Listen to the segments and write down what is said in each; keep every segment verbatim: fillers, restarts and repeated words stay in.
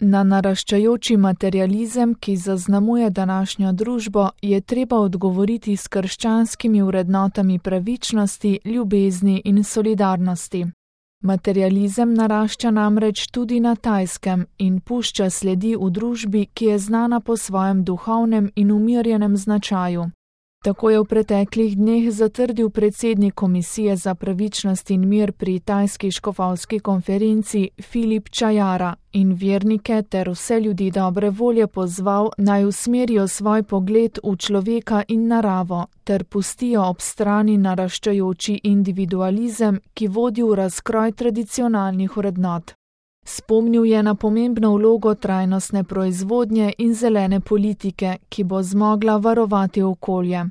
Na naraščajoči materializem, ki zaznamuje današnjo družbo, je treba odgovoriti s krščanskimi vrednotami pravičnosti, ljubezni in solidarnosti. Materializem narašča namreč tudi na Tajskem in pušča sledi v družbi, ki je znana po svojem duhovnem in umirjenem značaju. Tako je v preteklih dneh zatrdil predsednik Komisije za pravičnost in mir pri tajski škofovski konferenci Filip Čajara in vernike ter vse ljudi dobre volje pozval, naj usmerijo svoj pogled v človeka in naravo ter pustijo ob strani naraščajoči individualizem, ki vodi v razkroj tradicionalnih vrednot. Spomnil je na pomembno vlogo trajnostne proizvodnje in zelene politike, ki bo zmogla varovati okolje.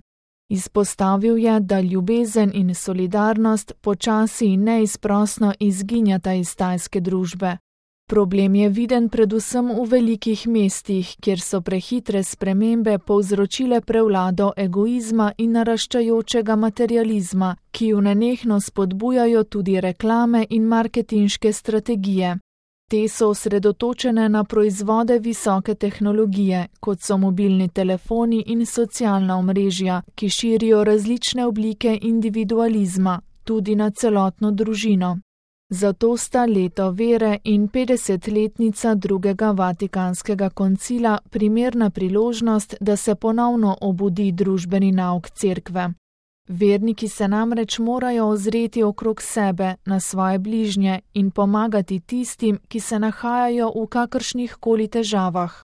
Izpostavil je, da ljubezen in solidarnost počasi in neizprosno izginjata iz tajske družbe. Problem je viden predvsem v velikih mestih, kjer so prehitre spremembe povzročile prevlado egoizma in naraščajočega materializma, ki ju nenehno spodbujajo tudi reklame in marketinške strategije. Te so osredotočene na proizvode visoke tehnologije, kot so mobilni telefoni in socialna omrežja, ki širijo različne oblike individualizma, tudi na celotno družino. Zato sta leto vere in petdesetletnica drugega Vatikanskega koncila primerna priložnost, da se ponovno obudi družbeni nauk cerkve. Verniki se namreč morajo ozreti okrog sebe, na svoje bližnje in pomagati tistim, ki se nahajajo v kakršnih koli težavah.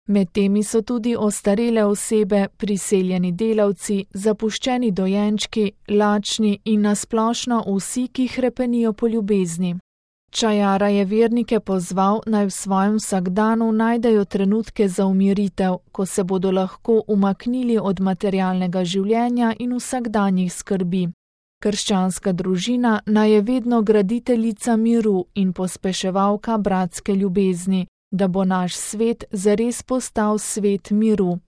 Med temi so tudi ostarele osebe, priseljeni delavci, zapuščeni dojenčki, lačni in nasplošno vsi, ki hrepenijo po ljubezni. Čajara je vernike pozval, naj v svojem vsakdanu najdejo trenutke za umiritev, ko se bodo lahko umaknili od materialnega življenja in vsakdanjih skrbi. Krščanska družina naj je vedno graditeljica miru in pospeševalka bratske ljubezni, da bo naš svet zares postal svet miru.